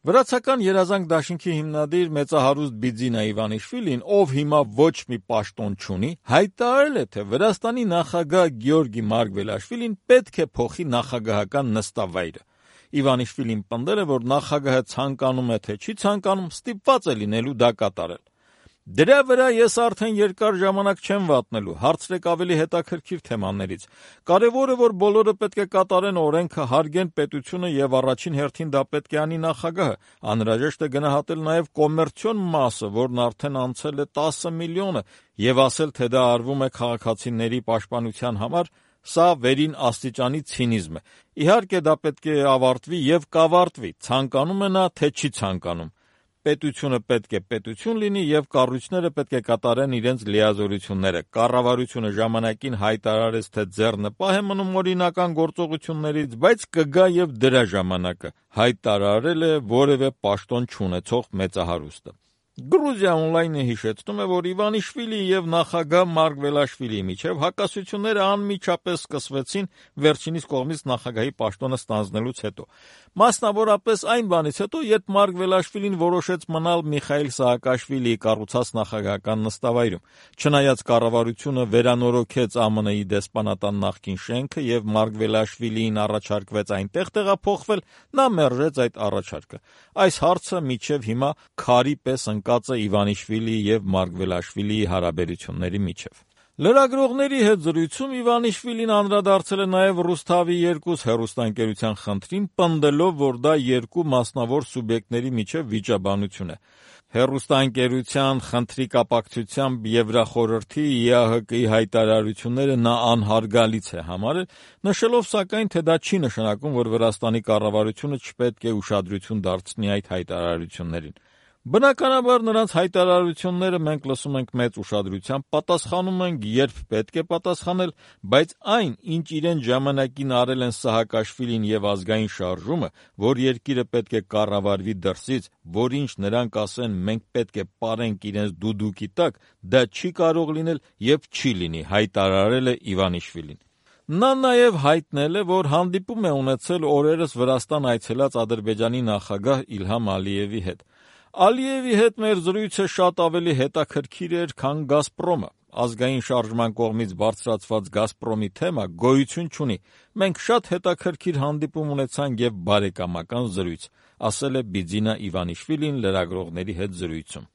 Վրացական երազանք դաշինքի հիմնադիր մեծահարուստ Բիձինա Իվանիշվիլին, ով հիմա ոչ մի պաշտոն չունի, հայտարարել է, թե Վրաստանի նախագահ Գեորգի Մարգվելաշվիլին պետք է փոխի նախագահական նստավայրը։ Իվանիշվիլին պնդել է, որ նախագահը ցանկանում է թե չի ցանկանում, ստիպված է լինելու դա կատարել։ Դրա վրա ես արդեն երկար ժամանակ չեմ վատնելու, հարցրեք ավելի հետաքրքիր թեմաներից։ Կարևորը, որ բոլորը պետք է կատարեն օրենքը, հարգեն պետությունը եւ առաջին հերթին դա պետք է անի նախագահը։ Անհրաժեշտ է գնահատել նաեւ կոմերցիոն մասը, որն արդեն անցել է 10 միլիոնը, եւ ասել, թե դա արվում է քաղաքացիների պաշտպանության համար, սա վերին աստիճանի ցինիզմ է։ Իհարկե դա պետք է ավարտվի եւ կավարտվի, ցանկանում է նա, թե չի ցանկանում։ Պետությունը պետք է պետություն լինի եւ կառույցները պետք է կատարեն իրենց լիազորությունները։ Կառավարությունը ժամանակին հայտարարեց, թե ձեռնպահ է մնում օրինական գործողություններից, բայց կգա եւ դրա ժամանակը, հայտարարել է որևէ պաշտոն չունեցող մեծահարուստը։ Գրուզիա օնլայնը հիշեցնում է, որ Իվանիշվիլի եւ նախագահ Մարգվելաշվիլիի միջև հակասությունները անմիջապես սկսվեցին վերջինիս կողմից նախագահի պաշտոնը ստանձնելուց հետո։ Մասնավորապես այն բանից հետո, երբ Մարգվելաշվիլին որոշեց մնալ Միխայիլ Սահակաշվիլիի կառուցած նախագահական նստավայրում։ Չնայած կառավարությունը վերանորոգեց ԱՄՆ-ի դեսպանատան նախկին շենքը եւ Մարգվելաշվիլիին առաջարկվեց այնտեղ տեղափոխվել, նա մերժեց այդ առաջարկը։ Այս հարցը մինչեւ հիմա քարի պես ընկած է Իվանիշվիլիի եւ Մարգվելաշվիլիի հարաբերությունների միջև։ Լրագրողների հետ զրույցում Իվանիշվիլին անդրադարձել է նաև Ռուսթավի 2 հեռուստաընկերության խնդրին, պնդելով, որ դա երկու մասնավոր սուբյեկտների միջև վիճաբանություն է։ Հեռուստաընկերության խնդրի կապակցությամբ Եվրախորհրդի ԵԱՀԿ-ի հայտարարությունները նա անհարգալից է համարել, նշելով սակայն, թե դա չի նշանակում, որ Վրաստանի կառավարությունը չպետք է ուշադրություն դարձնի այդ հայտարարություններին։ Բնականաբար նրանց հայտարարությունները մենք լսում ենք մեծ ուշադրությամբ, պատասխանում ենք, երբ պետք է պատասխանել, բայց այն, ինչ իրեն ժամանակին արել են Սահակաշվիլին եւ ազգային շարժումը, որ երկիրը պետք է կառավարվի դրսից, որ ինչ նրանք ասեն, մենք պետք է պարենք իրենց դուդուկի տակ, դա չի կարող լինել եւ չի լինի, հայտարարել է Իվանիշվիլին։ Նա նաև հայտնել է, որ հանդիպում է ունեցել օրերս Վրաստան այցելած Ադրբեջանի նախագահ Իլհամ Ալիևի հետ։ Ալիևի հետ մեր զրույցը շատ ավելի հետաքրքիր էր, քան Գազպրոմը։ Ազգային շարժման կողմից բարձրացված Գազպրոմի թեմա գոյություն չունի։ Մենք շատ հետաքրքիր հանդիպում ունեցանք եւ բարեկամական զրույց, ասել է Բիձինա Իվանիշվիլին լրագրողների հետ զրույցում։